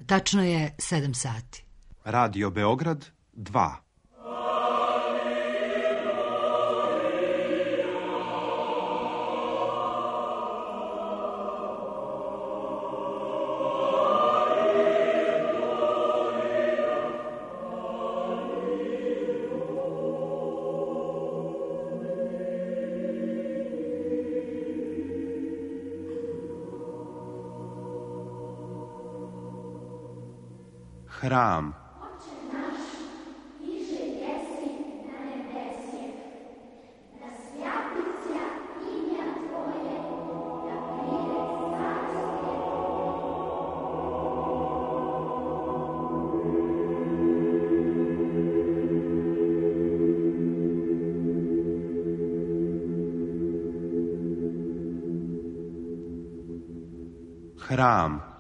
Tačno je 7 sati. Radio Beograd 2. Hram. Hram.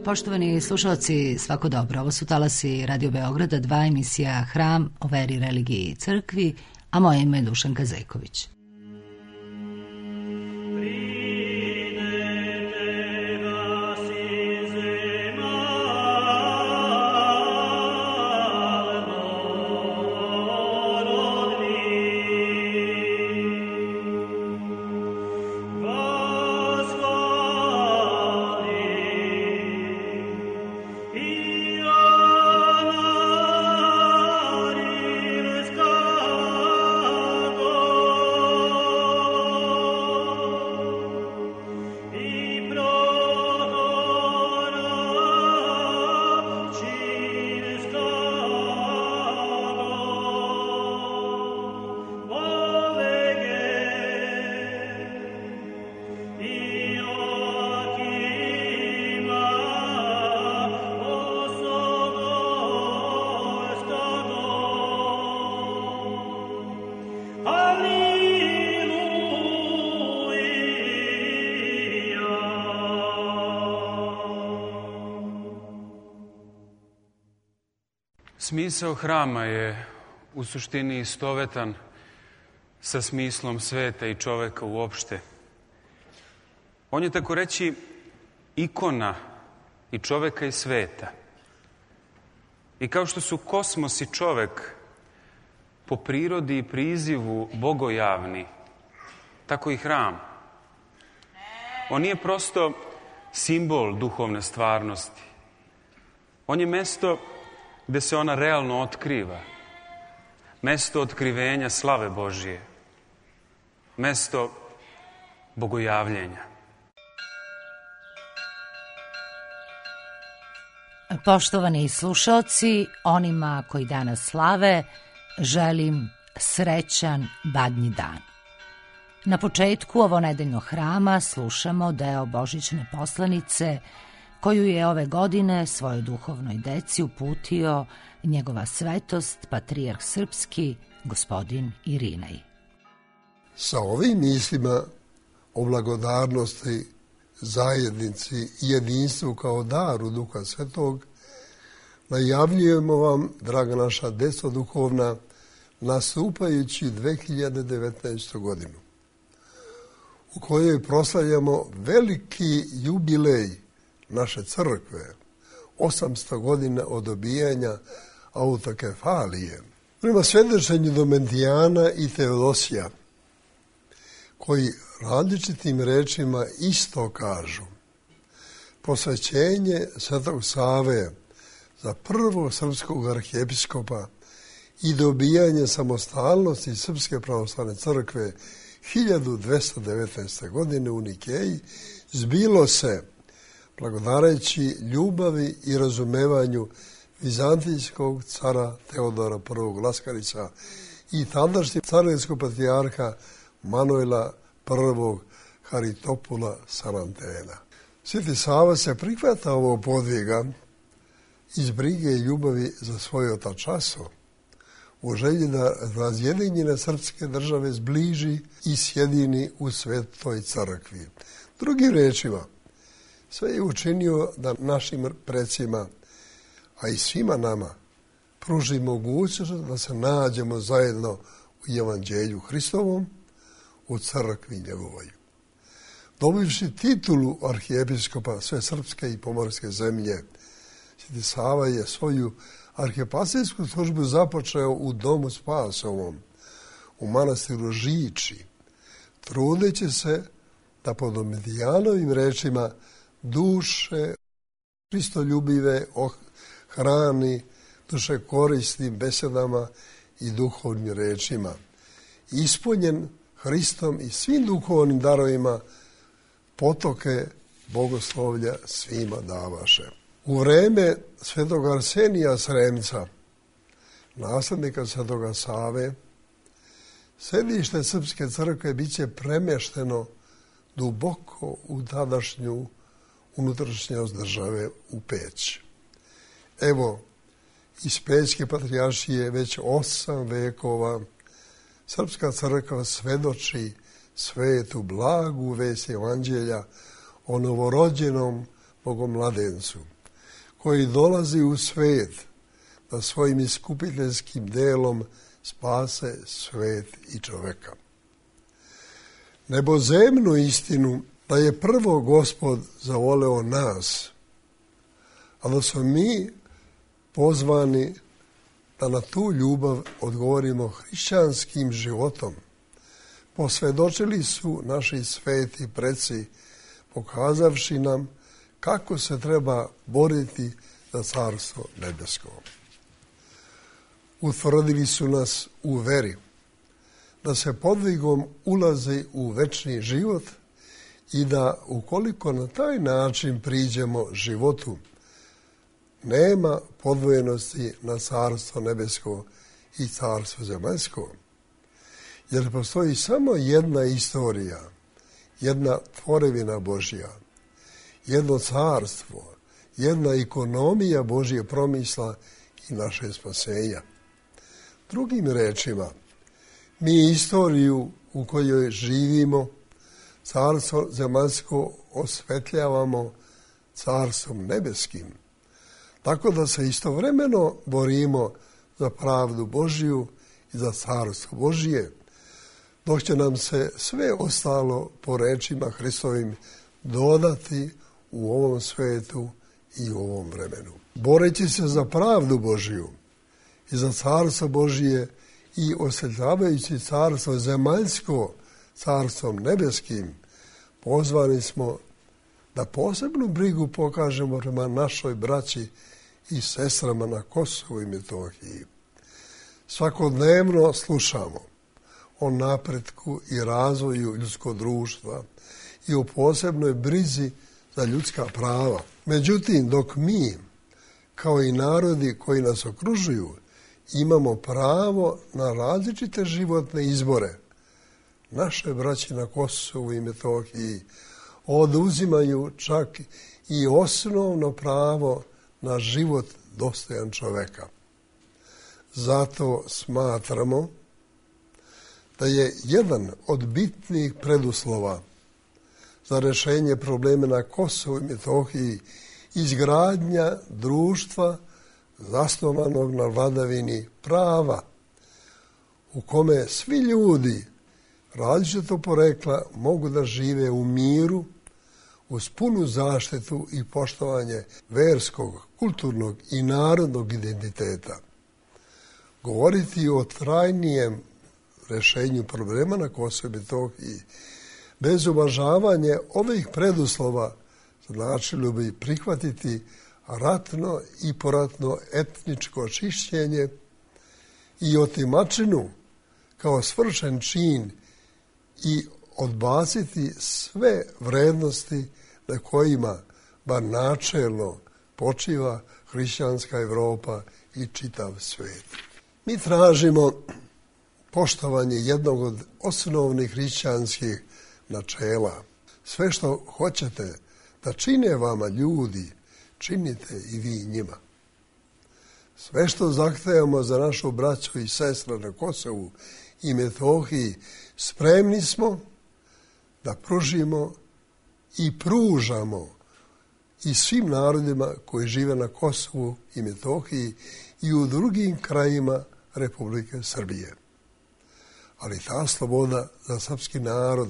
Poštovani slušalci, svako dobro. Ovo su talasi Radio Beograda 2, emisija Hram o veri, religiji i crkvi, a moje ime je Dušanka Zejković. Smisao hrama je u suštini istovetan sa smislom sveta i čoveka uopšte. On je, tako reći, ikona i čoveka i sveta. I kao što su kosmos i čovek po prirodi i prizivu bogojavni, tako i hram. On nije prosto simbol duhovne stvarnosti. On je mesto gde se ona realno otkriva. Mesto otkrivenja slave Božije. Mesto bogojavljenja. Poštovani slušalci, onima koji danas slave, želim srećan Badnji dan. Na početku ovonedeljnog hrama slušamo deo božićne poslanice koju je ove godine svojoj duhovnoj deci uputio njegova svetost, patrijarh srpski, gospodin Irinej. Sa ovim mislima o blagodarnosti, zajednici i jedinstvu kao daru Duha Svetog, najavljujemo vam, draga naša deco duhovna, nastupajući 2019. godinu, u kojoj proslavljamo veliki jubilej naše crkve, 800 godina od dobijanja autokefalije. Prema svjedočenju Domentijana i Teodosija, koji različitim rečima isto kažu, posvećenje Svetog Save za prvog srpskog arhijepiskopa i dobijanje samostalnosti Srpske pravoslavne crkve 1219. godine u Nikeji zbilo se, blagodareći ljubavi i razumevanju vizantijskog cara Teodora I. Laskarića i tadašnjeg carinskog patrijarha Manuela I. Haritopula Sarantena. Sveti Sava se prihvata ovog podviga iz brige i ljubavi za svoj otačaso, u želji da razjedinjene srpske države zbliži i sjedini u Svetoj crkvi. Drugim rečima, sve je učinio da našim precima, a i svima nama, pruži mogućnost da se nađemo zajedno u Evanđelju Hristovom, u crkvi njegovoj. Dobivši titulu arhijepiskopa sve srpske i pomorske zemlje, Sveti Sava je svoju arhijepasijsku službu započeo u Domu Spasovom, u manastiru Žiči, trudeći se da po Domitijanovim rečima duše Hristoljubive hrani duše korisnim besedama i duhovnim rečima. Ispunjen Hristom i svim duhovnim darovima, potoke bogoslovlja svima davaše. U vreme svetog Arsenija Sremca, naslednika svetoga Save, središte Srpske crkve bit će premešteno duboko u tadašnju unutrašnjost države u Peć. Evo, iz Pećke patrijaršije već 8 vekova Srpska crkva svedoči svetu blagu vest Evanđelja o novorođenom bogomladencu, koji dolazi u svet da svojim iskupiteljskim delom spase svet i čoveka. Nebozemnu istinu da je prvo Gospod zavoleo nas, a da smo mi pozvani da na tu ljubav odgovorimo hrišćanskim životom, posvjedočili su naši sveti preci, pokazavši nam kako se treba boriti za carstvo nebesko. Utvrdili su nas u veri, da se podvigom ulazi u večni život i da ukoliko na taj način priđemo životu, nema podvojenosti na carstvo nebesko i carstvo zemaljsko. Jer postoji samo jedna istorija, jedna tvorevina Božja, jedno carstvo, jedna ekonomija Božje promisla i naše spasenja. Drugim rečima, mi istoriju u kojoj živimo, carstvo zemaljsko osvetljavamo carstvom nebeskim, tako da se istovremeno borimo za pravdu Božju i za carstvo Božje, dok će nam se sve ostalo po rečima Hristovim dodati u ovom svetu i u ovom vremenu. Boreći se za pravdu Božju i za carstvo Božje i osvetljavajući carstvo zemaljsko carstvom nebeskim, pozvani smo da posebnu brigu pokažemo prema našoj braći i sestrama na Kosovu i Metohiji. Svakodnevno slušamo o napretku i razvoju ljudskog društva i o posebnoj brizi za ljudska prava. Međutim, dok mi, kao i narodi koji nas okružuju, imamo pravo na različite životne izbore, naše braće na Kosovu i Metohiji oduzimaju čak i osnovno pravo na život dostojan čoveka. Zato smatramo da je jedan od bitnih preduslova za rješenje problema na Kosovu i Metohiji izgradnja društva zasnovanog na vladavini prava, u kome svi ljudi različitog porekla mogu da žive u miru, uz punu zaštitu i poštovanje verskog, kulturnog i narodnog identiteta. Govoriti o trajnijem rješenju problema na Kosovu i Metohiji bez uvažavanja ovih preduslova značilo bi prihvatiti ratno i poratno etničko čišćenje i otimačinu kao svršen čin i odbaciti sve vrednosti na kojima bar načelno počiva hrišćanska Evropa i čitav svijet. Mi tražimo poštovanje jednog od osnovnih hrišćanskih načela. Sve što hoćete da čine vama ljudi, činite i vi njima. Sve što zahtevamo za našu braću i sestre na Kosovu i Metohiji, spremni smo da pružimo i pružamo i svim narodima koji žive na Kosovu i Metohiji i u drugim krajima Republike Srbije. Ali ta sloboda za srpski narod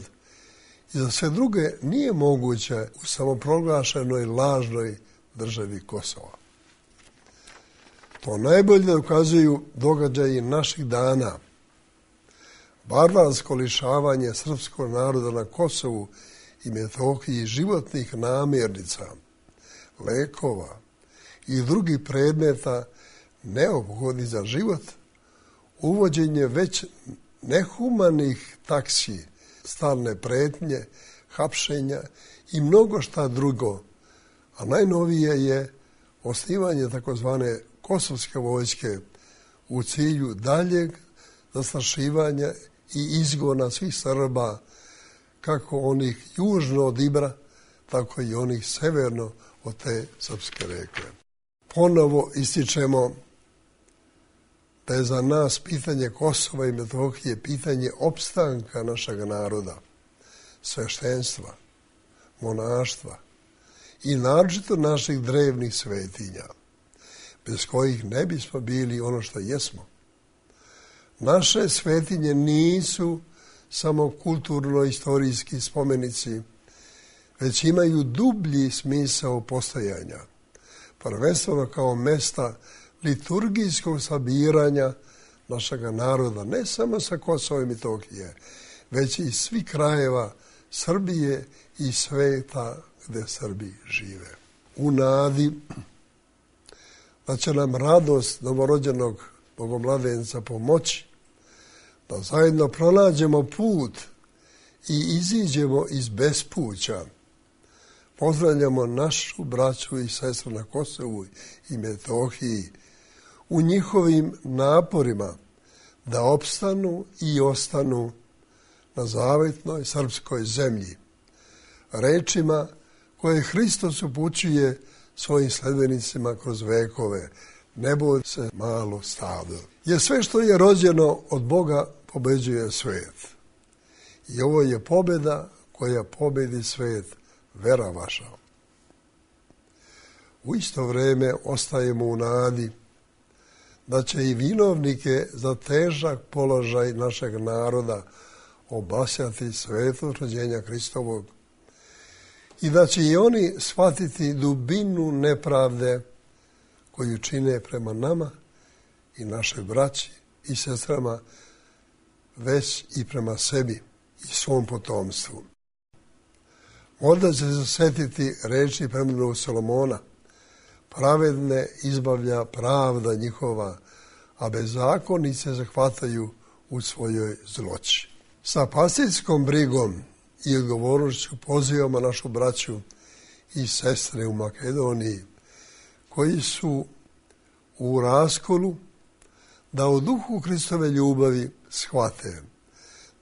i za sve druge nije moguća u samoproglašenoj lažnoj državi Kosova. To najbolje dokazuju događaji naših dana. Barbarsko lišavanje srpskog naroda na Kosovu i Metohiji životnih namirnica, lekova i drugih predmeta neophodnih za život, uvođenje već nehumanih taksi, stalne pretnje, hapšenja i mnogo šta drugo, a najnovije je osnivanje takozvane kosovske vojske u cilju daljeg zastrašivanja i izgona svih Srba, kako onih južno od Ibra, tako i onih severno od te srpske reke. Ponovo ističemo da je za nas pitanje Kosova i Metohije pitanje opstanka našeg naroda, sveštenstva, monaštva i naročito naših drevnih svetinja, bez kojih ne bismo bili ono što jesmo. Naše svetinje nisu samo kulturno-istorijski spomenici, već imaju dublji smisao postojanja, prvenstveno kao mesta liturgijskog sabiranja našeg naroda, ne samo sa Kosova i Metohije, već i svih krajeva Srbije i sveta gde Srbi žive. U nadi da će nam radost novorođenog bogomladenca pomoći, da zajedno pronađemo put i iziđemo iz bespuća. Pozdravljamo našu braću i sestru na Kosovu i Metohiji u njihovim naporima da opstanu i ostanu na zavetnoj srpskoj zemlji, rečima koje Hristos upućuje svojim sledbenicima kroz vekove: ne boj se malo stado. Jer sve što je rođeno od Boga pobeđuje svet. I ovo je pobjeda koja pobedi svet, vera vaša. U isto vrijeme ostajemo u nadi da će i vinovnike za težak položaj našeg naroda obasjati sveto rođenja Hristovog i da će i oni shvatiti dubinu nepravde koju čine prema nama i našoj braći i sestrama, već i prema sebi i svom potomstvu. Možda će se sjetiti reči preminulog Solomona: pravedne izbavlja pravda njihova, a bezakonice zahvataju u svojoj zloći. Sa pastirskom brigom i odgovornošću pozivamo našu braću i sestre u Makedoniji, koji su u raskolu, da u duhu Hristove ljubavi shvate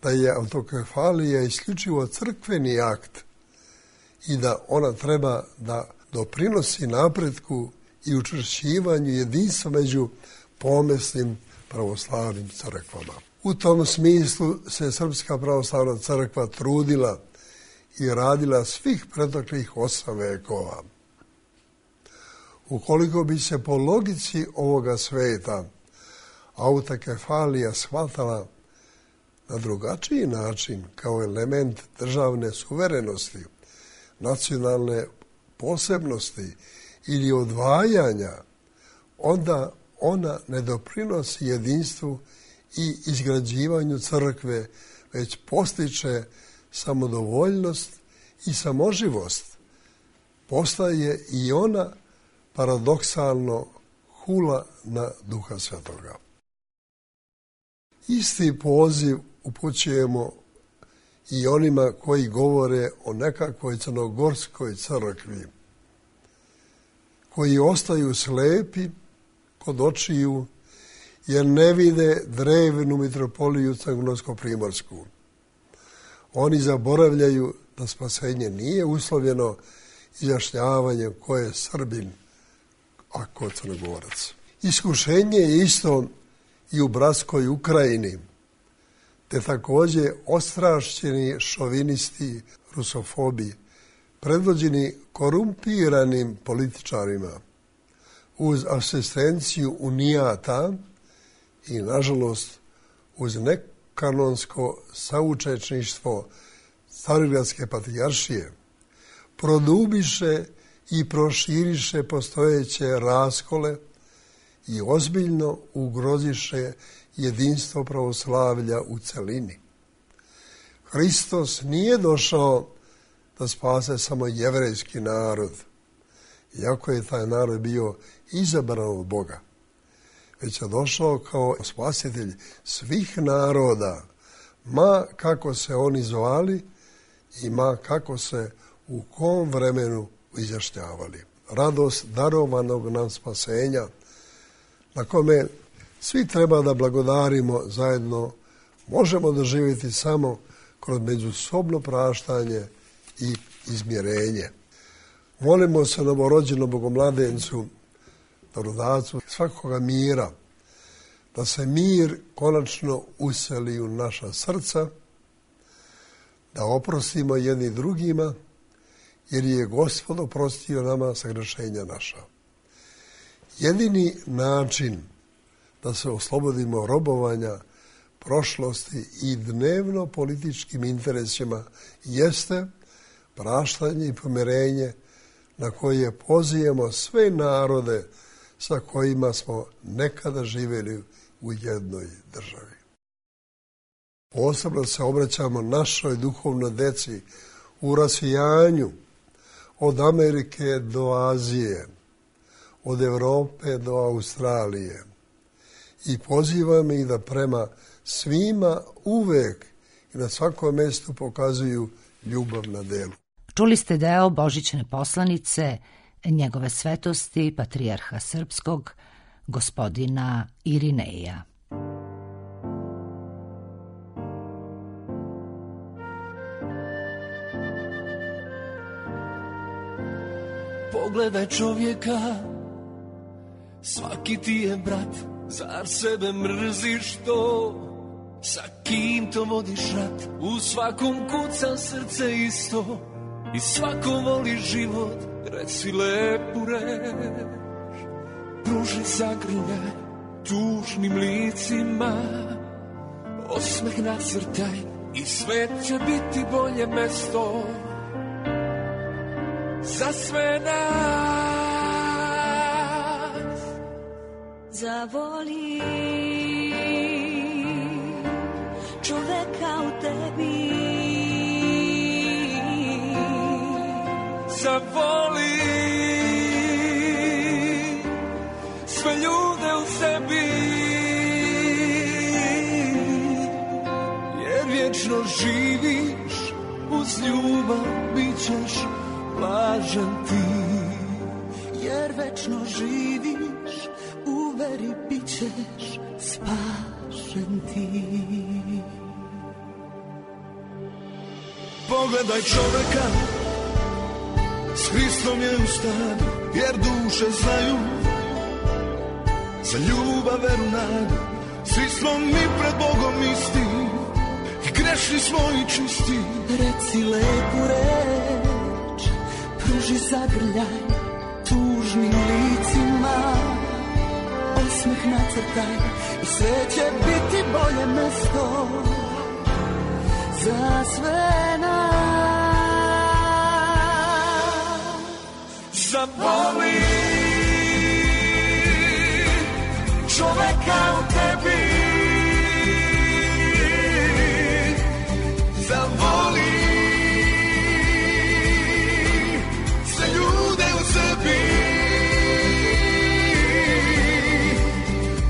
da je autokefalija isključivo crkveni akt i da ona treba da doprinosi napretku i učvršćivanju jedinstva među pomesnim pravoslavnim crkvama. U tom smislu se Srpska pravoslavna crkva trudila i radila svih proteklih 8 vekova. Ukoliko bi se po logici ovoga sveta autokefalija shvatala na drugačiji način, kao element državne suverenosti, nacionalne posebnosti ili odvajanja, onda ona ne doprinosi jedinstvu i izgrađivanju crkve, već postiče samodovoljnost i samoživost. Postaje i ona paradoksalno hula na Duha Svetoga. Isti poziv upućujemo i onima koji govore o nekakvoj crnogorskoj crkvi, koji ostaju slepi kod očiju jer ne vide drevnu mitropoliju crnogorsko-primorsku. Oni zaboravljaju da spasenje nije uslovljeno izjašnjavanjem ko je Srbin, a ko Crnogorac. Iskušenje je isto i u bratskoj Ukrajini, te također ostrašćeni šovinisti, rusofobi, predvođeni korumpiranim političarima, uz asistenciju unijata i, nažalost, uz nekanonsko saučešništvo Carigradske patrijaršije, produbiše i proširiše postojeće raskole i ozbiljno ugroziše jedinstvo pravoslavlja u celini. Hristos nije došao da spase samo jevrejski narod, iako je taj narod bio izabran od Boga, već je došao kao spasitelj svih naroda, ma kako se oni zvali i ma kako se u kom vremenu izjašnjavali. Radost darovanog nam spasenja, na kome svi treba da blagodarimo zajedno, možemo doživjeti samo kroz međusobno praštanje i izmjerenje. Molimo se novorođenom Bogomladencu, darodacu svakoga mira, da se mir konačno useli u naša srca, da oprostimo jedni drugima, jer je Gospod oprostio nama sagrešenja naša. Jedini način da se oslobodimo robovanja prošlosti i dnevno političkim interesima jeste praštanje i pomirenje na koje pozivamo sve narode sa kojima smo nekada živjeli u jednoj državi. Posebno se obraćamo našoj duhovnoj deci u rasijanju od Amerike do Azije, od Europe do Australije i pozivamo ih da prema svima uvek i na svakom mjestu pokazuju ljubav na delu. Čuli ste deo božićne poslanice njegove svetosti, patrijarha srpskog, gospodina Irineja. Pogledaj čovjeka, svaki ti je brat, zar sebe mrziš to? Sa kim to vodiš rat? U svakom kuca srce isto i svako voli život, reci lepu reč. Pruži zagrljaj tužnim licima, osmeh nacrtaj i svet će biti bolje mesto za sve nas. Zavoli čoveka u tebi, zavoli sve ljude u sebi, jer vječno živiš uz ljubav, bit ćeš blažen ti. Jer večno živiš, u veri bit ćeš spašen ti. Pogledaj čoveka, s Hristom je u stanu, jer duše znaju za ljubav, veru, nadu. Svi smo mi pred Bogom isti i grešni smo i čisti. Reci lepu reč, pruži zagrljaj tužnim licima, osmeh nacrtaj i sve će biti bolje mesto za sve nas. Zavoli čoveka u tebi, zavoli sve ljude u sebi,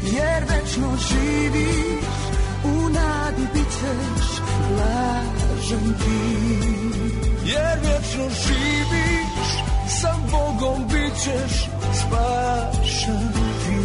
jer večno živiš, u nadi bit ćeš blažen jer vječno živiš, sa Bogom bit ćeš spašen ti.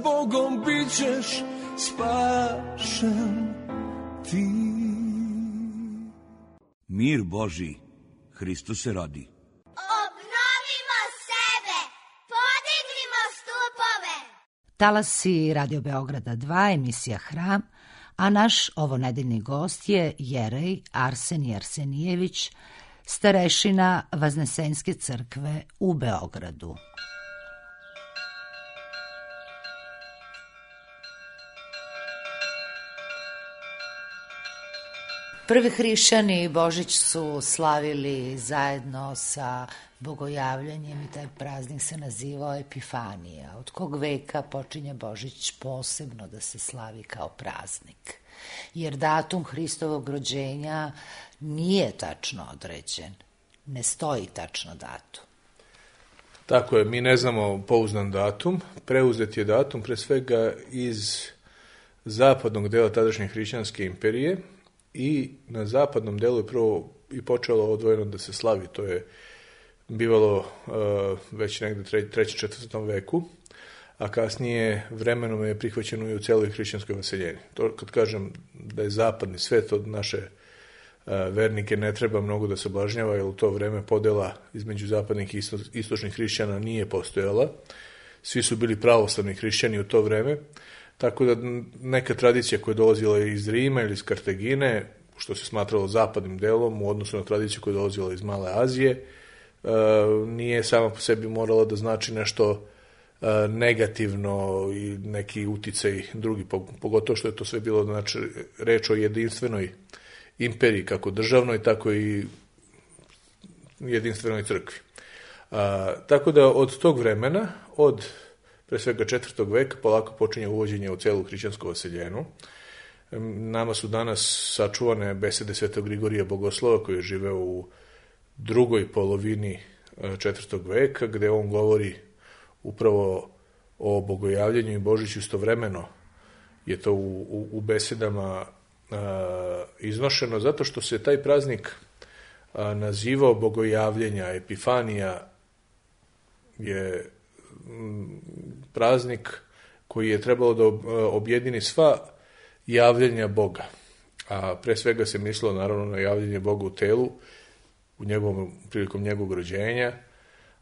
Bogom bit ćeš spašen ti. Mir Božji, Hristos se rodi. Obnovimo sebe, podignimo stupove. Talasi Radio Beograda 2, emisija Hram, a naš ovonedeljni gost je jerej Arsenij Arsenijević, starešina Vaznesenske crkve u Beogradu. Prvi hrišćani Božić su slavili zajedno sa bogojavljanjem i taj praznik se nazivao Epifanija. Od kog veka počinje Božić posebno da se slavi kao praznik? Jer datum Hristovog rođenja nije tačno određen. Ne stoji tačno datum. Tako je, mi ne znamo pouzdan datum. Preuzet je datum pre svega iz zapadnog dela tadašnje hrišćanske imperije, i na zapadnom delu je prvo i počelo odvojeno da se slavi. To je bivalo već negde 3. 4. veku, a kasnije vremenom je prihvaćeno i u celoj hrišćanskoj vaseljeni. To kad kažem da je zapadni svet, od naše vernike ne treba mnogo da se oblažnjava, jer u to vreme podela između zapadnih i istočnih hrišćana nije postojala. Svi su bili pravoslavni hrišćani u to vreme, tako da neka tradicija koja je dolazila iz Rima ili iz Kartagine, što se smatralo zapadnim delom u odnosu na tradiciju koja je dolazila iz Male Azije, nije sama po sebi morala da znači nešto negativno i neki uticaj drugi, pogotovo što je to sve bilo, znači, reč o jedinstvenoj imperiji, kako državnoj, tako i jedinstvenoj crkvi. Tako da od tog vremena, od pre svega 4. veka, polako počinje uvođenje u celu hrišćansku vaseljenu. Nama su danas sačuvane besede Svetog Grigorija Bogoslova, koji je živeo u drugoj polovini 4. veka, gde on govori upravo o bogojavljenju i Božiću istovremeno. Je to u besedama iznošeno, zato što se taj praznik nazivao bogojavljenja. Epifanija je praznik koji je trebalo da objedini sva javljenja Boga. A pre svega se mislilo naravno na javljenje Boga u telu, prilikom njegovog rođenja,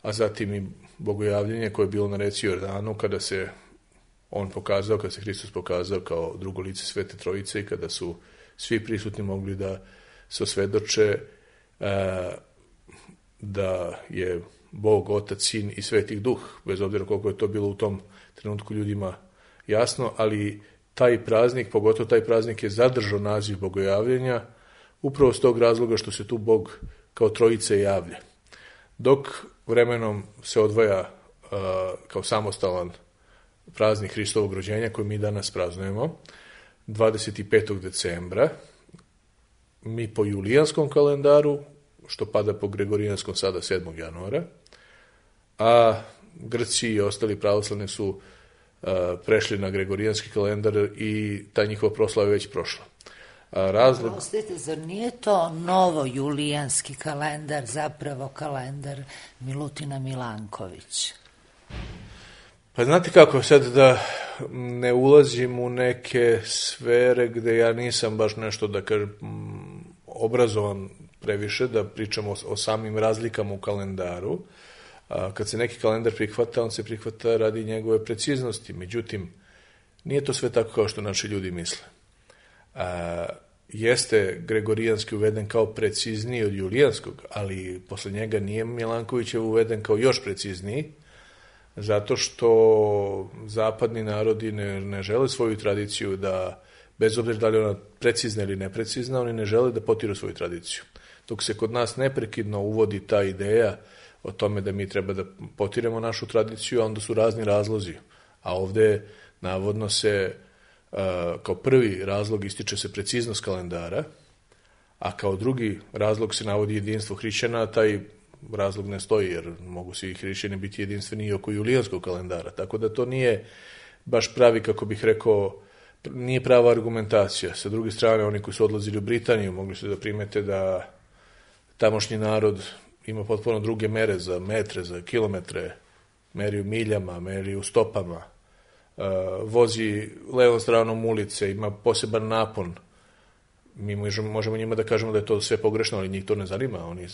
a zatim i bogojavljenje koje je bilo na reci Jordanu, kada se on pokazao, kada se Hristos pokazao kao drugo lice Svete Trojice i kada su svi prisutni mogli da se osvedoče da je Bog, Otac, Sin i Sveti Duh, bez obzira koliko je to bilo u tom trenutku ljudima jasno, ali taj praznik, pogotovo taj praznik je zadržao naziv bogojavljenja upravo s tog razloga što se tu Bog kao trojice javlja. Dok vremenom se odvaja kao samostalan praznik Hristovog rođenja koji mi danas praznujemo 25. decembra, mi po julijanskom kalendaru, što pada po gregorijanskom sada 7. januara, a Grci i ostali pravoslavni su prešli na gregorijanski kalendar i ta njihova proslava je već prošla. Prostite, zar nije to novo julijanski kalendar, zapravo kalendar Milutina Milankovića? Pa znate kako, sad da ne ulazim u neke sfere gde ja nisam baš nešto, da kažem, obrazovan previše da pričamo o samim razlikama u kalendaru. Kad se neki kalendar prihvata, on se prihvata radi njegove preciznosti. Međutim, nije to sve tako kao što naši ljudi misle. Jeste Gregorijanski uveden kao precizniji od Julijanskog, ali posle njega nije Milankovićev uveden kao još precizniji, zato što zapadni narodi ne žele svoju tradiciju da, bez obzira da li ona precizna ili neprecizna, oni ne žele da potiru svoju tradiciju. Dok se kod nas neprekidno uvodi ta ideja o tome da mi treba da potiremo našu tradiciju, a onda su razni razlozi. A ovde navodno se kao prvi razlog ističe se preciznost kalendara, a kao drugi razlog se navodi jedinstvo hrišćana, a taj razlog ne stoji, jer mogu svi hrišćani biti jedinstveni i oko julijanskog kalendara. Tako da to nije baš pravi, kako bih rekao, nije prava argumentacija. Sa druge strane, oni koji su odlazili u Britaniju mogli su da primete da tamošnji narod ima potpuno druge mere za metre, za kilometre, meri u miljama, meri u stopama, vozi levom stranom ulice, ima poseban napon. Mi možemo njima da kažemo da je to sve pogrešno, ali njih to ne zanima. Oni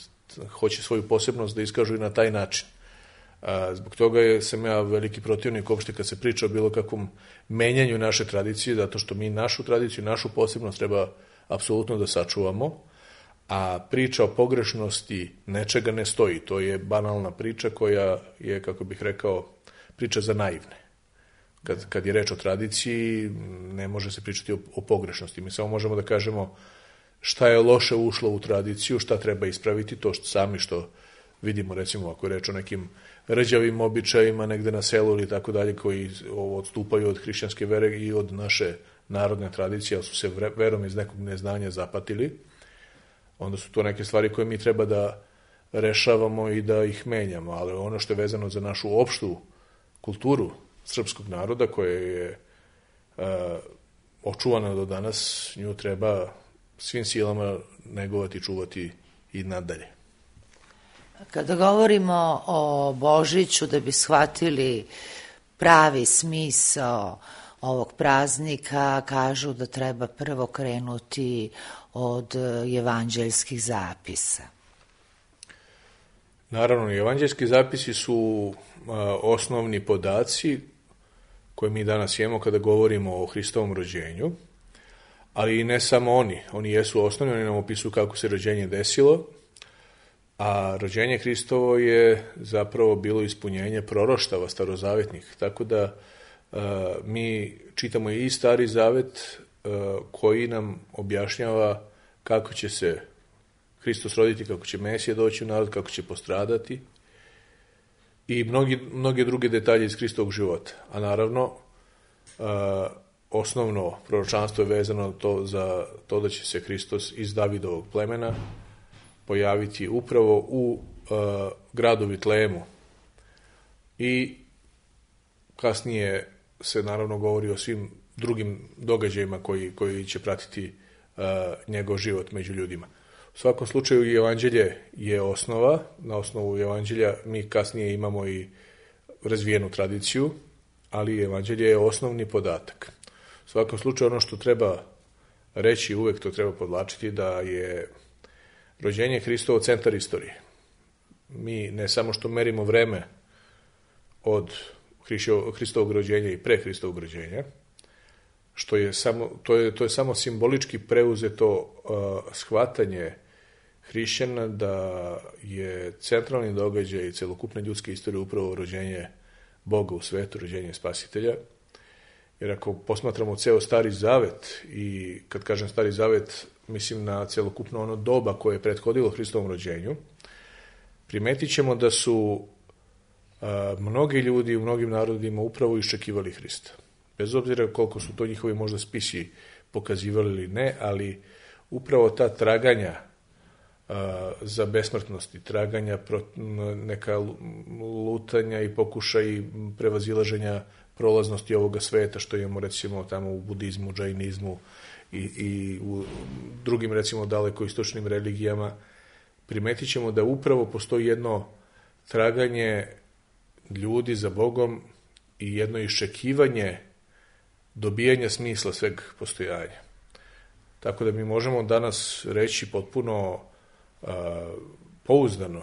hoće svoju posebnost da iskažu i na taj način. Zbog toga sam ja veliki protivnik uopšte kad se priča o bilo kakvom menjanju naše tradicije, zato što mi našu tradiciju, našu posebnost treba apsolutno da sačuvamo, a priča o pogrešnosti nečega ne stoji. To je banalna priča koja je, kako bih rekao, priča za naivne. Kad je reč o tradiciji, ne može se pričati o pogrešnosti. Mi samo možemo da kažemo šta je loše ušlo u tradiciju, šta treba ispraviti, to što vidimo, recimo, ako je reč o nekim rđavim običajima negde na selu ili tako dalje, koji odstupaju od hrišćanske vere i od naše narodne tradicije, ali su se verom iz nekog neznanja zapatili, onda su to neke stvari koje mi treba da rešavamo i da ih menjamo. Ali ono što je vezano za našu opštu kulturu srpskog naroda, koja je očuvana do danas, nju treba svim silama negovati, čuvati i nadalje. Kada govorimo o Božiću, da bi shvatili pravi smisao ovog praznika, kažu da treba prvo krenuti od evanđeljskih zapisa. Naravno, evanđeljski zapisi su osnovni podaci koje mi danas imamo kada govorimo o Hristovom rođenju, ali i ne samo oni. Oni jesu osnovni, oni nam opisuju kako se rođenje desilo, a rođenje Hristovo je zapravo bilo ispunjenje proroštava starozavetnih, tako da mi čitamo i Stari Zavet koji nam objašnjava kako će se Hristos roditi, kako će Mesija doći u narod, kako će postradati i mnoge druge detalje iz Hristovog života. A naravno, osnovno proročanstvo je vezano za to da će se Hristos iz Davidovog plemena pojaviti upravo u gradu Vitlejemu. I kasnije se naravno govori o svim drugim događajima koji će pratiti njegov život među ljudima. U svakom slučaju, evanđelje je osnova. Na osnovu evanđelja mi kasnije imamo i razvijenu tradiciju, ali evanđelje je osnovni podatak. U svakom slučaju, ono što treba reći, uvek to treba podvlačiti, da je rođenje Hristovo centar istorije. Mi ne samo što merimo vreme od Hristovog rođenja i pre Hristovog rođenja, što je to je samo simbolički preuzeto shvatanje hrišćana da je centralni događaj celokupne ljudske istorije upravo rođenje Boga u svetu, rođenje Spasitelja. Jer ako posmatramo ceo Stari Zavet, i kad kažem Stari Zavet, mislim na celokupno ono doba koje je prethodilo Hristovom rođenju, primetit ćemo da su mnogi ljudi u mnogim narodima upravo iščekivali Hrista. Bez obzira koliko su to njihovi možda spisi pokazivali ili ne, ali upravo ta traganja za besmrtnosti, traganja, neka lutanja i pokušaj prevazilaženja prolaznosti ovoga sveta, što imamo recimo tamo u budizmu, džainizmu i u drugim recimo daleko istočnim religijama, primetit ćemo da upravo postoji jedno traganje ljudi za Bogom i jedno iščekivanje dobijanja smisla sveg postojanja. Tako da mi možemo danas reći potpuno pouzdano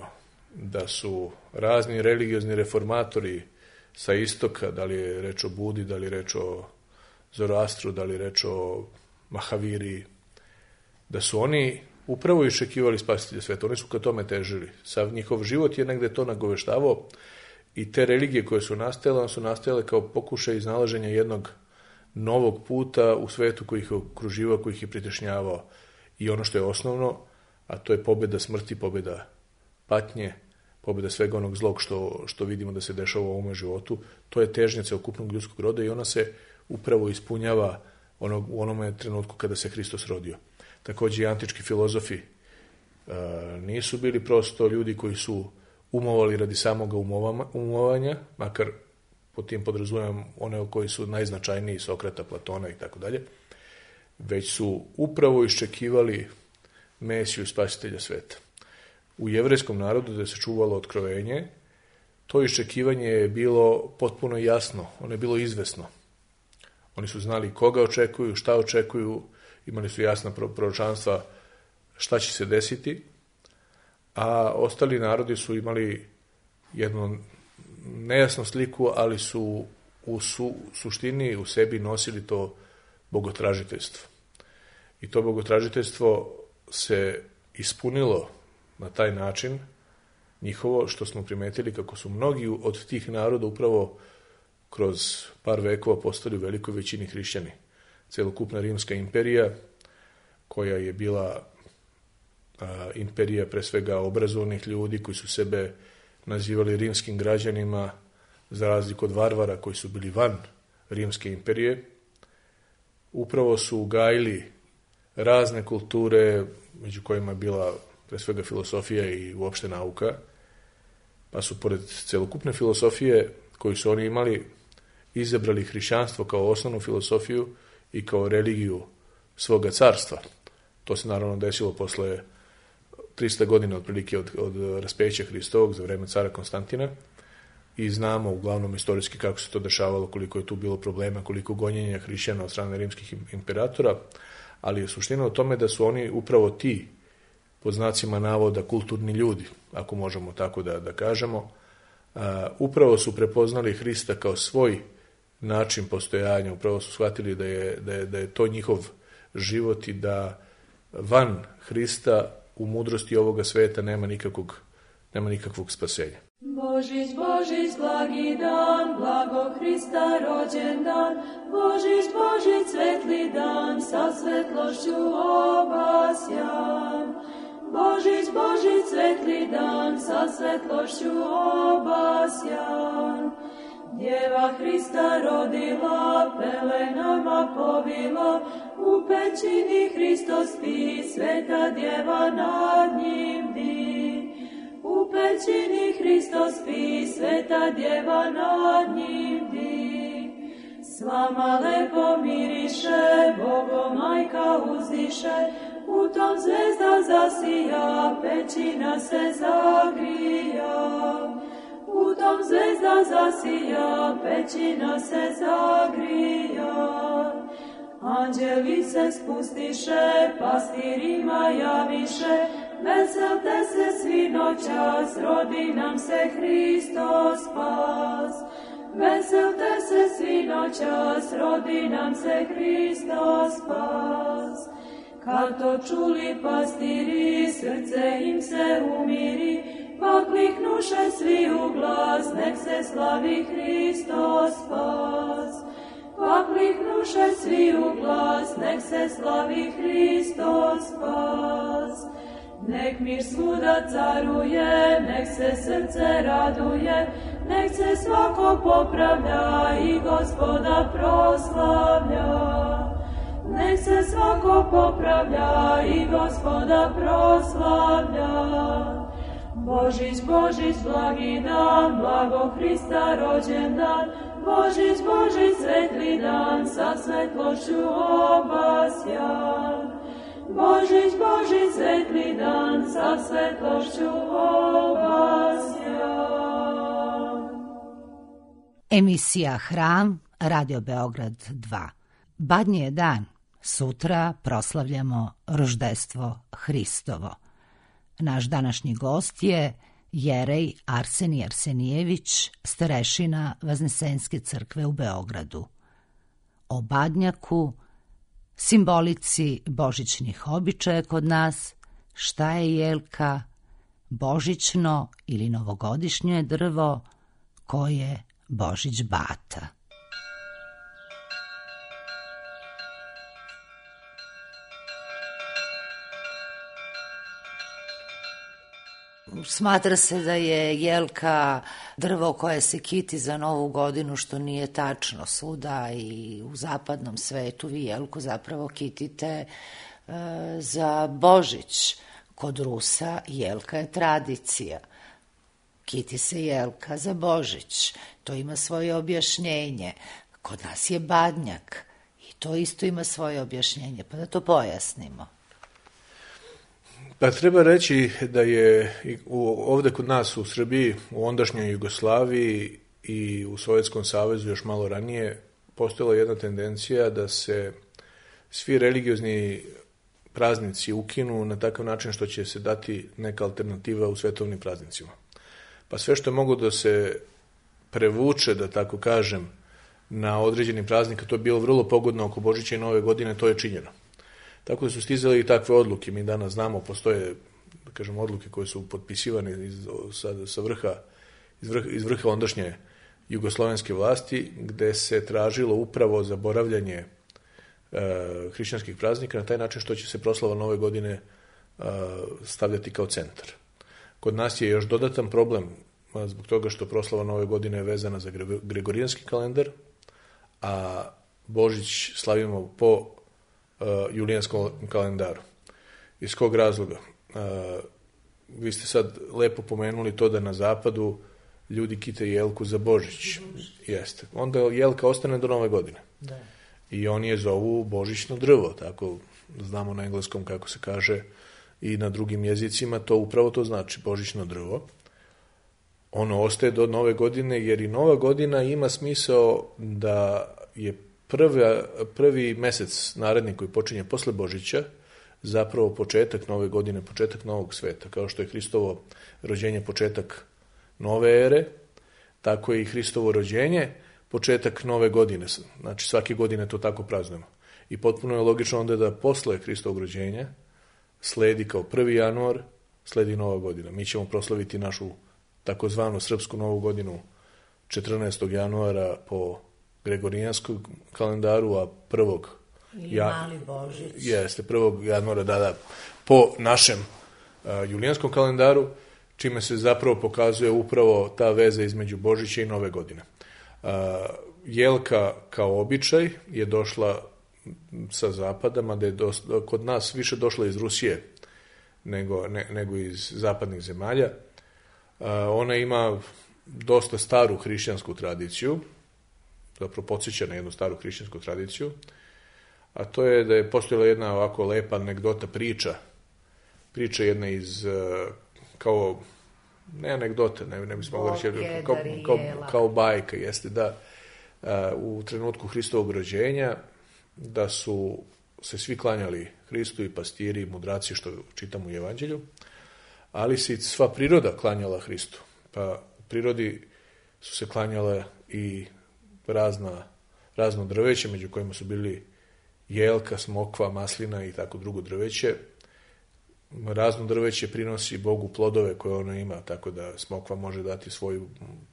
da su razni religiozni reformatori sa istoka, da li je reč o Budi, da li je reč o Zoroastru, da li je reč o Mahaviri, da su oni upravo iščekivali spasitelja sveta. Oni su ka tome težili. Sav njihov život je negde to nagoveštavao i te religije koje su nastajale kao pokušaj iznalaženja jednog novog puta u svetu koji ih je okruživao, koji ih je pritešnjavao. I ono što je osnovno, a to je pobjeda smrti, pobjeda patnje, pobjeda svega onog zlog što vidimo da se dešava u ovome životu, to je težnja celokupnog ljudskog roda i ona se upravo ispunjava u onome trenutku kada se Hristos rodio. Također i antički filozofi nisu bili prosto ljudi koji su umovali radi samoga umovanja, makar po tim podrazumijem one koji su najznačajniji, Sokrata, Platona i tako dalje, već su upravo iščekivali Mesiju, spasitelja sveta. U jevrejskom narodu da se čuvalo otkrovenje, to iščekivanje je bilo potpuno jasno, ono je bilo izvesno. Oni su znali koga očekuju, šta očekuju, imali su jasna proročanstva šta će se desiti, a ostali narodi su imali jednu nejasnu sliku, ali su u suštini u sebi nosili to bogotražiteljstvo. I to bogotražiteljstvo se ispunilo na taj način njihovo, što smo primetili kako su mnogi od tih naroda upravo kroz par vekova postali u velikoj većini hrišćani. Celokupna Rimska imperija, koja je bila imperija pre svega obrazovnih ljudi koji su sebe nazivali rimskim građanima, za razliku od varvara koji su bili van Rimske imperije, upravo su ugajili razne kulture, među kojima je bila pre svega filosofija i uopšte nauka, pa su pored celokupne filosofije koju su oni imali, izabrali hrišćanstvo kao osnovnu filosofiju i kao religiju svoga carstva. To se naravno desilo posle 300 godina otprilike od raspeća Hristovog za vreme cara Konstantina i znamo uglavnom istorijski kako se to dešavalo, koliko je tu bilo problema, koliko gonjenja hrišćana od strane rimskih imperatora, ali je suština u tome da su oni upravo ti, pod znacima navoda, kulturni ljudi, ako možemo tako da kažemo, upravo su prepoznali Hrista kao svoj način postojanja, upravo su shvatili da je to njihov život i da van Hrista u mudrosti ovoga sveta nema nikakvog spasenja. Božić, Božić, blagi dan, blago Hrista rođendan, Božić, Božić, svetli dan, sa svetlošću obasjan. Božić, Božić, svetli dan, sa svetlošću obasjan. Djeva Hrista rodila, pelenama povila, u pećini Hristos spi, sveta djeva nad njim di. U pećini Hristos spi, sveta djeva nad njim di. S vama lepo miriše, Bogo majka uzdiše, u tom zvezda zasija, pećina se zagrija. U tom zvezda zasija, pećina se zagrija. Anđeli se spustiše, pastirima javiše, veselte se svi noćas, rodi nam se Hristos spas. Veselte se svi noćas, rodi nam se Hristos spas. Kad to čuli pastiri, srce im se umiri, pa kliknuše svi u glas, nek se slavi Hristos spas. Pa kliknuše svi u glas, nek se slavi Hristos spas. Nek mir svuda caruje, nek se srce raduje, nek se svako popravlja i Gospoda proslavlja. Nek se svako popravlja i Gospoda proslavlja. Božić, Božić, blagi dan, blago Hrista rođendan, Božić, Božić, svetli dan, sa svetlošću obasjan. Božić, Božić, svetli dan, sa svetlošću obasjan. Emisija Hram, Radio Beograd 2. Badnji je dan, sutra proslavljamo roždestvo Hristovo. Naš današnji gost je jerej Arsenij Arsenijević, starešina Vaznesenske crkve u Beogradu. O badnjaku, simbolici božićnih običaja kod nas, šta je jelka, božićno ili novogodišnje drvo, ko je Božić bata. Smatra se da je jelka drvo koje se kiti za Novu godinu, što nije tačno. Svuda i u zapadnom svetu vi jelku zapravo kitite za Božić. Kod Rusa jelka je tradicija. Kiti se jelka za Božić. To ima svoje objašnjenje. Kod nas je badnjak i to isto ima svoje objašnjenje. Pa da to pojasnimo. Pa treba reći da je ovde kod nas u Srbiji, u ondašnjoj Jugoslaviji i u Sovjetskom savezu još malo ranije postojala jedna tendencija da se svi religiozni praznici ukinu na takav način što će se dati neka alternativa u svetovnim praznicima. Pa sve što je moglo da se prevuče, da tako kažem, na određeni praznik, to je bilo vrlo pogodno oko Božića i Nove godine, to je činjeno. Tako da su stizali i takve odluke. Mi danas znamo, postoje, da kažem, odluke koje su potpisivane iz vrha ondašnje jugoslovenske vlasti, gde se tražilo upravo zaboravljanje hrišćanskih praznika na taj način što će se proslava Nove godine stavljati kao centar. Kod nas je još dodatan problem zbog toga što proslava Nove godine je vezana za gregorijanski kalendar, a Božić slavimo po julijanskom kalendaru. Iz kog razloga? Vi ste sad lepo pomenuli to da na zapadu ljudi kite jelku za Božić. Jeste. Onda jelka ostane do Nove godine. Da. I oni je zovu božićno drvo, tako znamo na engleskom kako se kaže i na drugim jezicima, to upravo to znači božićno drvo. Ono ostaje do Nove godine, jer i Nova godina ima smisao da je prvi mesec naredni koji počinje posle Božića zapravo početak Nove godine, početak Novog sveta. Kao što je Hristovo rođenje početak nove ere, tako je i Hristovo rođenje početak Nove godine. Znači svake godine to tako praznujemo. I potpuno je logično onda da posle Hristovog rođenja sledi kao 1. januar, sledi Nova godina. Mi ćemo proslaviti našu takozvanu srpsku Novu godinu 14. januara po gregorijanskom kalendaru, a 1. Mali Božić. Jeste, 1. januara, po našem julijanskom kalendaru, čime se zapravo pokazuje upravo ta veza između Božića i Nove godine. Jelka kao običaj je došla sa zapada, mada je kod nas više došla iz Rusije nego iz zapadnih zemalja. Ona ima dosta staru hrišćansku tradiciju, zapravo podsjeća na jednu staru hrišćansku tradiciju, a to je da je postojala jedna ovako lepa anegdota, priča jedna iz, kao, ne anegdota, ne bismo mogli reći, kao bajka, jeste da u trenutku Hristovog rođenja da su se svi klanjali Hristu, i pastiri i mudraci, što čitamo u Evanđelju, ali se i sva priroda klanjala Hristu. Pa u prirodi su se klanjale i razno drveće, među kojima su bili jelka, smokva, maslina i tako drugo drveće. Razno drveće prinosi Bogu plodove koje ono ima, tako da smokva može dati svoj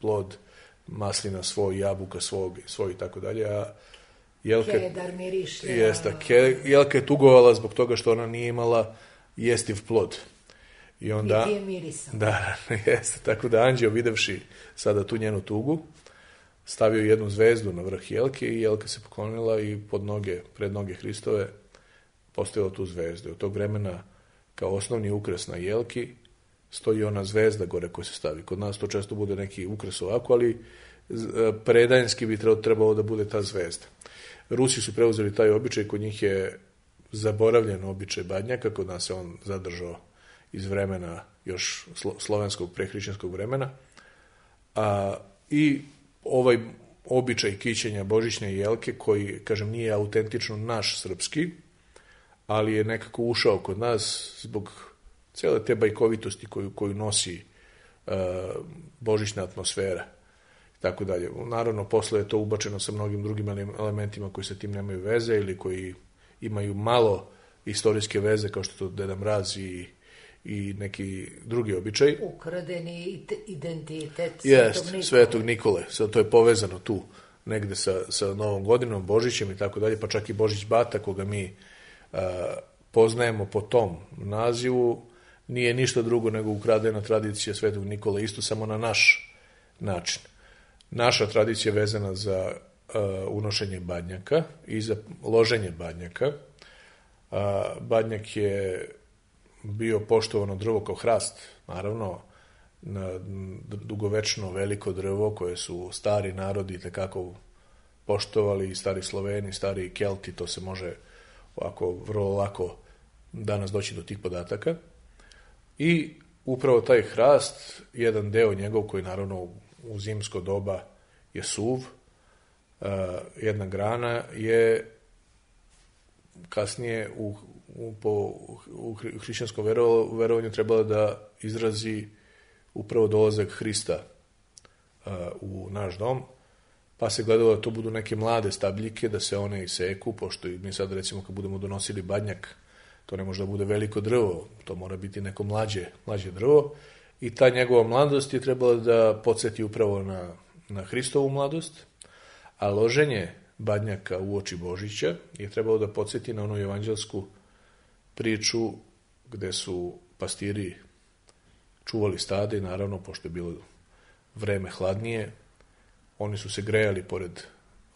plod, maslina svoj, jabuka svoj i tako dalje, a Kedar miriše. Jelka je tugovala zbog toga što ona nije imala jestiv plod. I onda, niti je mirisan. Da, jeste. Tako da anđeo, videvši sada tu njenu tugu, stavio jednu zvezdu na vrh jelke i jelka se poklonila i pred noge Hristove postavila tu zvezdu. Od tog vremena kao osnovni ukras na jelki stoji ona zvezda gore koja se stavi. Kod nas to često bude neki ukras ovako, ali predajenski bi trebalo da bude ta zvezda. Rusi su preuzeli taj običaj, kod njih je zaboravljen običaj badnjaka, kod nas se on zadržao iz vremena još slovenskog prehrišćanskog vremena. I ovaj običaj kićenja božićne jelke, koji, kažem, nije autentično naš srpski, ali je nekako ušao kod nas zbog cele te bajkovitosti koju nosi božićna atmosfera i tako dalje. Naravno, posle je to ubačeno sa mnogim drugim elementima koji sa tim nemaju veze ili koji imaju malo istorijske veze, kao što je to Deda Mraz i neki drugi običaj. Ukradeni identitet Svetog Nikole. Sad to je povezano tu negde sa Novom godinom, Božićem i tako dalje, pa čak i Božić Bata, koga mi poznajemo po tom nazivu, nije ništa drugo nego ukradena tradicija Svetog Nikole, isto samo na naš način. Naša tradicija je vezana za unošenje badnjaka i za loženje badnjaka. Badnjak je bio poštovano drvo kao hrast, naravno, dugovečno veliko drvo koje su stari narodi tekako poštovali, stari Sloveni, stari Kelti, to se može ovako vrlo lako danas doći do tih podataka. I upravo taj hrast, jedan deo njegov koji naravno u zimsko doba je suv, jedna grana je kasnije u hrišćanskom verovanju trebala da izrazi upravo dolazak Hrista u naš dom, pa se gledalo da to budu neke mlade stabljike, da se one iseku, pošto mi sad recimo kad budemo donosili badnjak, to ne može da bude veliko drvo, to mora biti neko mlađe drvo, i ta njegova mladost je trebala da podsjeti upravo na Hristovu mladost, a loženje badnjaka u oči Božića je trebalo da podsjeti na onu evanđelsku priču gde su pastiri čuvali stade i naravno, pošto je bilo vreme hladnije, oni su se grejali pored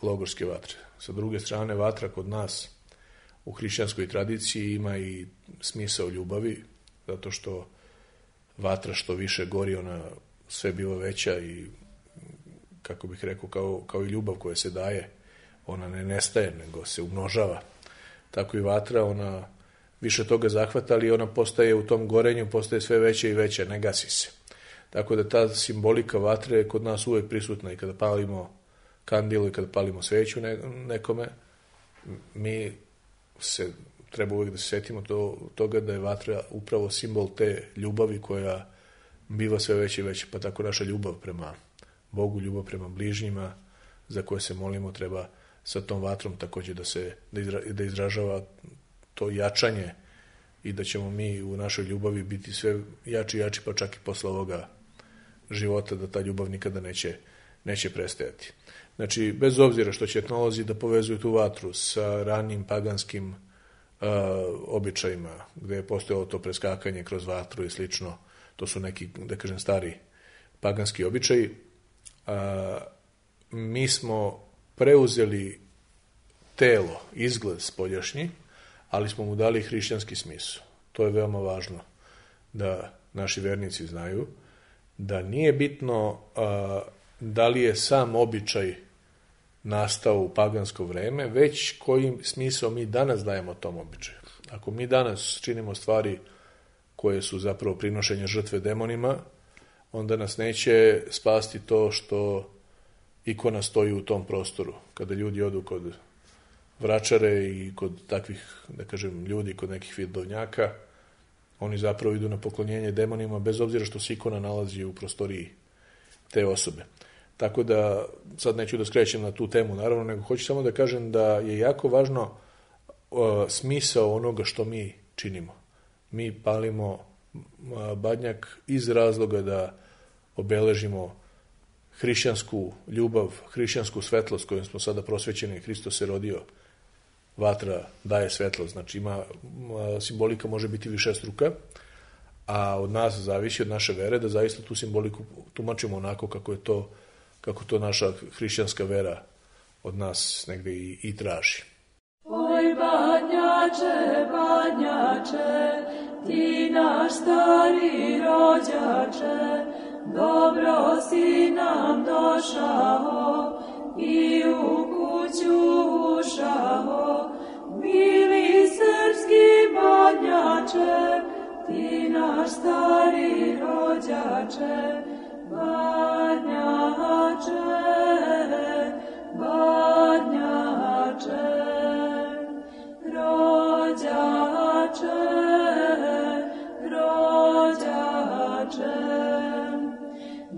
logorske vatre. Sa druge strane, vatra kod nas u hrišćanskoj tradiciji ima i smisao ljubavi, zato što vatra što više gori, ona sve biva veća i, kako bih rekao, kao i ljubav koja se daje, ona ne nestaje, nego se umnožava. Tako i vatra, ona više toga zahvata, ali ona postaje u tom gorenju, postaje sve veća i veća, ne gasi se. Tako da ta simbolika vatre je kod nas uvek prisutna i kada palimo kandilu i kada palimo sveću nekome, mi treba uvek da se setimo toga da je vatra upravo simbol te ljubavi koja biva sve veća i veća, pa tako naša ljubav prema Bogu, ljubav prema bližnjima za koje se molimo treba sa tom vatrom takođe da izražava to jačanje i da ćemo mi u našoj ljubavi biti sve jači i jači, pa čak i posle ovoga života, da ta ljubav nikada neće prestajati. Znači, bez obzira što će etnolozi da povezuju tu vatru sa ranim paganskim običajima, gde je postojalo to preskakanje kroz vatru i slično, to su neki, da kažem, stari paganski običaji, mi smo preuzeli telo, izgled spoljašnji, ali smo mu dali hrišćanski smisao. To je veoma važno da naši vernici znaju, da nije bitno da li je sam običaj nastao u pagansko vreme, već koji smisao mi danas dajemo tom običaju. Ako mi danas činimo stvari koje su zapravo prinošenje žrtve demonima, onda nas neće spasti to što ikona stoji u tom prostoru. Kada ljudi odu kod vračare i kod takvih, da kažem, ljudi, kod nekih vidovnjaka, oni zapravo idu na poklonjenje demonima, bez obzira što se ikona nalazi u prostoriji te osobe. Tako da, sad neću da skrećem na tu temu, naravno, nego hoću samo da kažem da je jako važno smisao onoga što mi činimo. Mi palimo badnjak iz razloga da obeležimo hrišćansku ljubav, hrišćansku svetlost kojom smo sada prosvećeni, Hristos se rodio, vatra daje svetlost, znači simbolika može biti višestruka, a od nas zavisi, od naše vere, da zaista tu simboliku tumačimo onako kako to naša hrišćanska vera od nas negde i traži. Oj, badnjače, badnjače, ti naš stari rođače, dobro si nam došao i u kuću ušao. Mili srpski badnjače, ti naš stari rođače, badnjače, badnjače, rođače, rođače.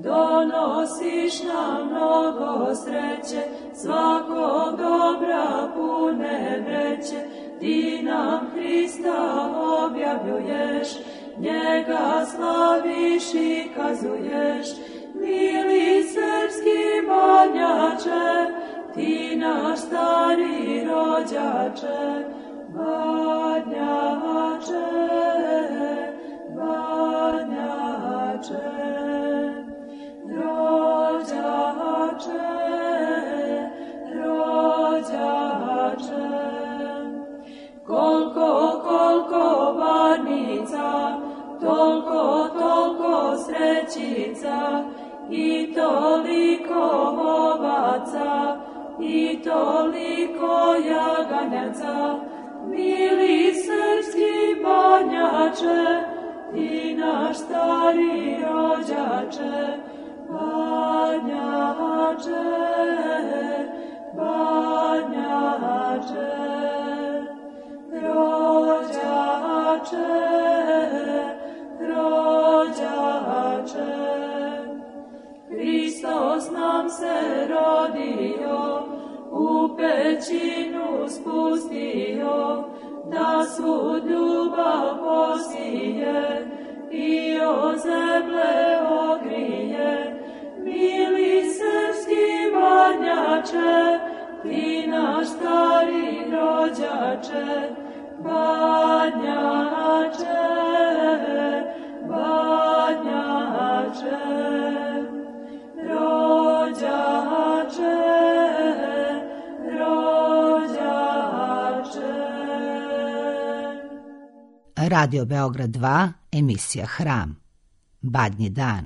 donosiš nam mnogo sreće, svakog dobra pune vreće, ti nam Hrista objavljuješ, njega slaviš i kazuješ, mili srpski Badnjače, ti naš stari rođače, Badnjače, Badnjače, rođače, rođače. Koliko varnica, toliko srećica, i toliko ovaca, i toliko jaganjaca, mili srpski Badnjače, ti naš stari rođače, Badnjače, Badnjače, rođače, rođače. Hristos nam se rodio, u pećinu spustio, da svu ljubav posije i o zemlje ogrije. Mili srpski Badnjače, ti naš stari rođače, Badnjače, Badnjače, rođače, rođače. Radio Beograd 2, emisija Hram. Badnji dan.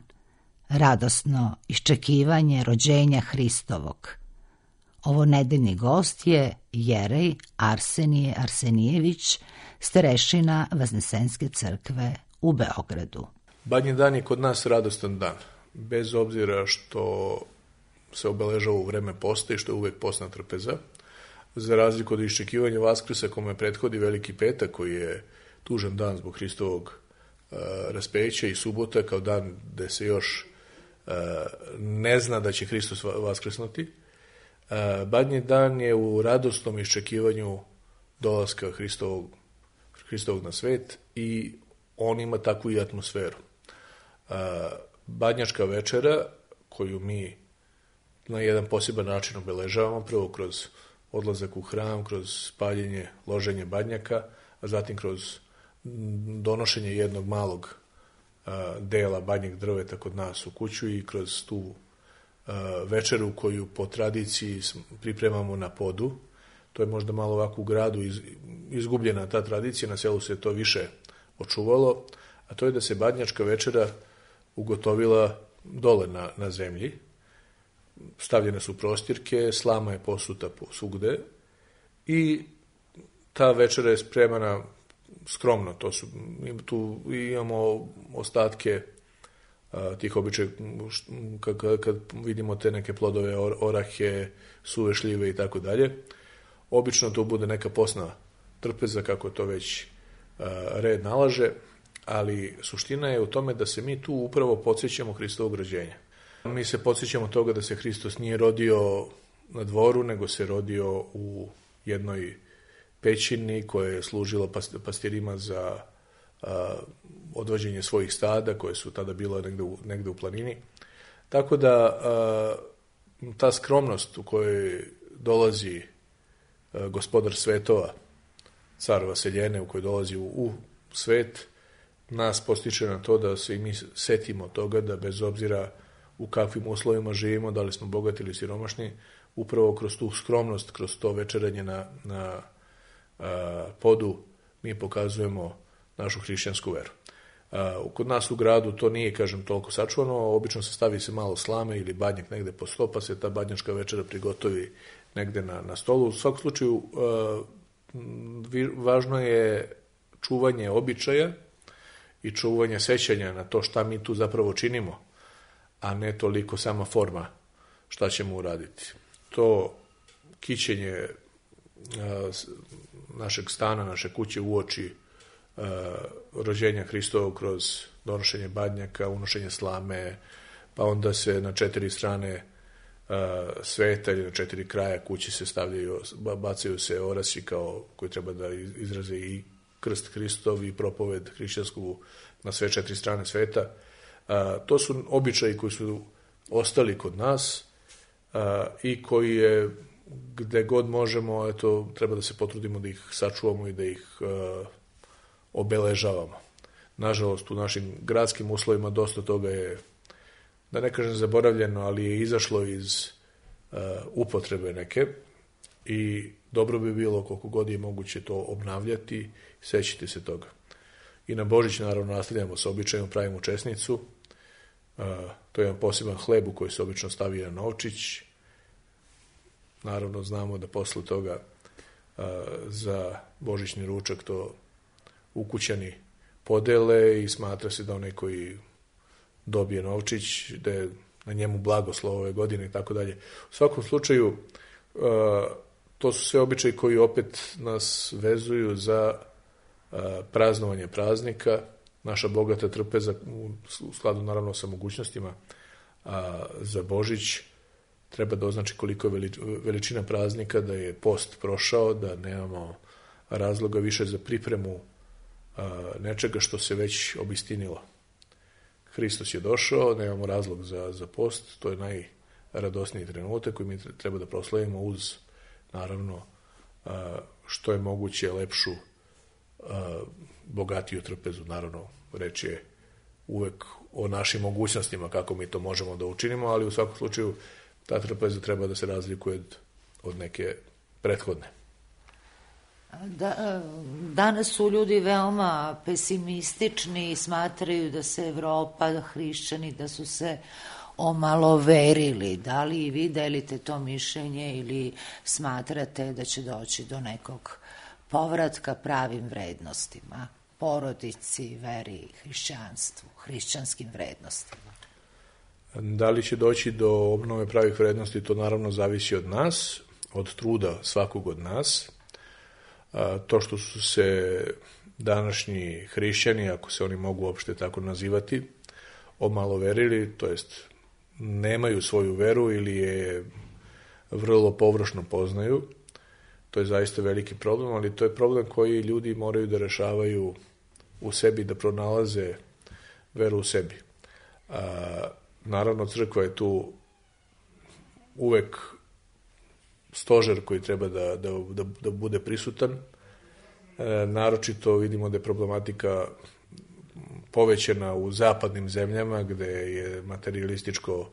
Radosno iščekivanje rođenja Hristovog. Ovo nedeljni gost je Jerej Arsenije Arsenijević, starešina Vaznesenske crkve u Beogradu. Badnji dan je kod nas radostan dan, bez obzira što se obeležava u vreme posta i što je uvek postna trpeza, za razliku od iščekivanja Vaskrsa kome prethodi Veliki petak, koji je tužan dan zbog Hristovog raspeća, i subota kao dan gde se još ne zna da će Hristos vaskrsnuti. Badnji dan je u radosnom iščekivanju dolaska Hristovog na svet i on ima takvu i atmosferu. Badnjačka večera, koju mi na jedan poseban način obeležavamo, prvo kroz odlazak u hram, kroz paljenje, loženje badnjaka, a zatim kroz donošenje jednog malog dela badnjeg drveta kod nas u kuću i kroz tu večeru koju po tradiciji pripremamo na podu. To je možda malo ovako u gradu izgubljena ta tradicija, na selu se to više očuvalo, a to je da se badnjačka večera ugotovila dole na zemlji. Stavljene su prostirke, slama je posuta svugde i ta večera je spremana skromno. Tu imamo ostatke tih običaja, kad vidimo te neke plodove, orahe, suve šljive i tako dalje. Obično to bude neka posna trpeza, kako to već red nalaže, ali suština je u tome da se mi tu upravo podsjećamo Hristovog rođenja. Mi se podsjećamo toga da se Hristos nije rodio na dvoru, nego se rodio u jednoj pećini koja je služila pastirima za odvođenje svojih stada, koje su tada bila negde u planini. Tako da ta skromnost u kojoj dolazi gospodar svetova, car Vaseljene, u kojoj dolazi u svet, nas postiče na to da se i mi setimo toga da bez obzira u kakvim uslovima živimo, da li smo bogati ili siromašni, upravo kroz tu skromnost, kroz to večeranje na podu, mi pokazujemo našu hrišćansku veru. Kod nas u gradu to nije, kažem, toliko sačuvano, obično se stavi se malo slame ili badnjak negde po sto, pa se ta badnjačka večera prigotovi negde na stolu. U svakom slučaju, važno je čuvanje običaja i čuvanje sećanja na to šta mi tu zapravo činimo, a ne toliko sama forma šta ćemo uraditi. To kićenje našeg stana, naše kuće uoči rođenja Hristovog kroz donošenje badnjaka, unošenje slame, pa onda se na 4 strane sveta ili na 4 kraja kući se stavljaju, bacaju se orasi koji treba da izraze i krst Hristov i propoved hrišćansku na sve 4 strane sveta. To su običaji koji su ostali kod nas i koji je, gde god možemo, eto, treba da se potrudimo da ih sačuvamo i da ih obeležavamo. Nažalost, u našim gradskim uslovima dosta toga je, da ne kažem zaboravljeno, ali je izašlo iz upotrebe neke i dobro bi bilo koliko god je moguće to obnavljati i sećati se toga. I na Božić naravno nastavljamo sa običajem, pravimo česnicu, to je jedan poseban hleb u koji se obično stavi na novčić. Naravno znamo da posle toga za božićni ručak to ukućani podele i smatra se da onaj koji dobije novčić, da je na njemu blagoslov ove godine i tako dalje. U svakom slučaju, to su sve običaji koji opet nas vezuju za praznovanje praznika, naša bogata trpeza u skladu naravno sa mogućnostima za Božić treba da označi koliko je veličina praznika, da je post prošao, da nemamo razloga više za pripremu nečega što se već obistinilo. Hristos je došao, nemamo razlog za post, to je najradosniji trenutak koji mi treba da proslavimo uz, naravno, što je moguće lepšu, bogatiju trpezu. Naravno, reč je uvek o našim mogućnostima, kako mi to možemo da učinimo, ali u svakom slučaju ta trpeza treba da se razlikuje od neke prethodne. Danas su ljudi veoma pesimistični i smatraju da se Evropa, hrišćani, da su se omaloverili. Da li i vi delite to mišljenje ili smatrate da će doći do nekog povratka pravim vrednostima, porodici, veri, hrišćanstvu, hrišćanskim vrednostima? Da li će doći do obnove pravih vrednosti, to naravno zavisi od nas, od truda svakog od nas. To što su se današnji hrišćani, ako se oni mogu uopšte tako nazivati, omaloverili, to jest nemaju svoju veru ili je vrlo površno poznaju, to je zaista veliki problem, ali to je problem koji ljudi moraju da rešavaju u sebi, da pronalaze veru u sebi. Naravno, crkva je tu uvek stožer koji treba da bude prisutan. Naročito vidimo da je problematika povećana u zapadnim zemljama gde je materialističko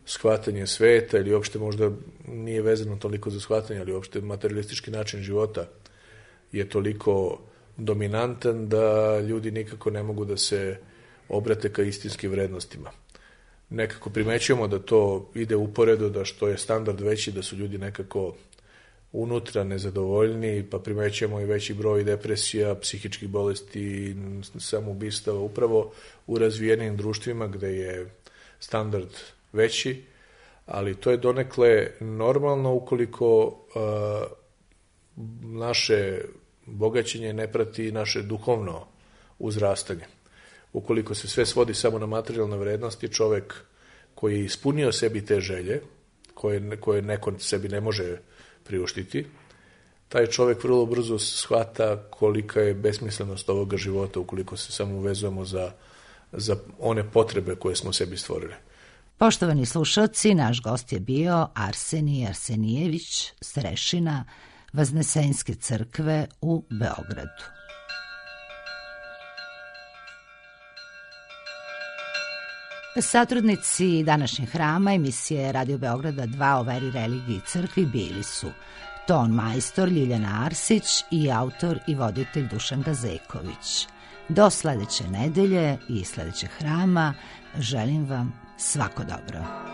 shvatanje sveta ili uopšte možda nije vezano toliko za shvatanje, ali uopšte materialistički način života je toliko dominantan da ljudi nikako ne mogu da se obrate ka istinskim vrednostima. Nekako primećujemo da to ide uporedo, da što je standard veći, da su ljudi nekako unutra nezadovoljni, pa primećujemo i veći broj depresija, psihičkih bolesti, samoubistava, upravo u razvijenim društvima gde je standard veći, ali to je donekle normalno ukoliko naše bogaćenje ne prati naše duhovno uzrastanje. Ukoliko se sve svodi samo na materijalne vrednosti, čovek koji je ispunio sebi te želje, koje neko sebi ne može priuštiti, taj čovek vrlo brzo shvata kolika je besmislenost ovoga života ukoliko se samo uvezujemo za one potrebe koje smo sebi stvorili. Poštovani slušalci, naš gost je bio Arsenij Arsenijević, starešina Vaznesenske crkve u Beogradu. Satrudnici današnjeg hrama emisije Radio Beograda 2 o veri, religiji i crkvi bili su ton majstor Ljiljana Arsić i autor i voditelj Dušan Gazeković. Do sledeće nedelje i sledećeg hrama želim vam svako dobro.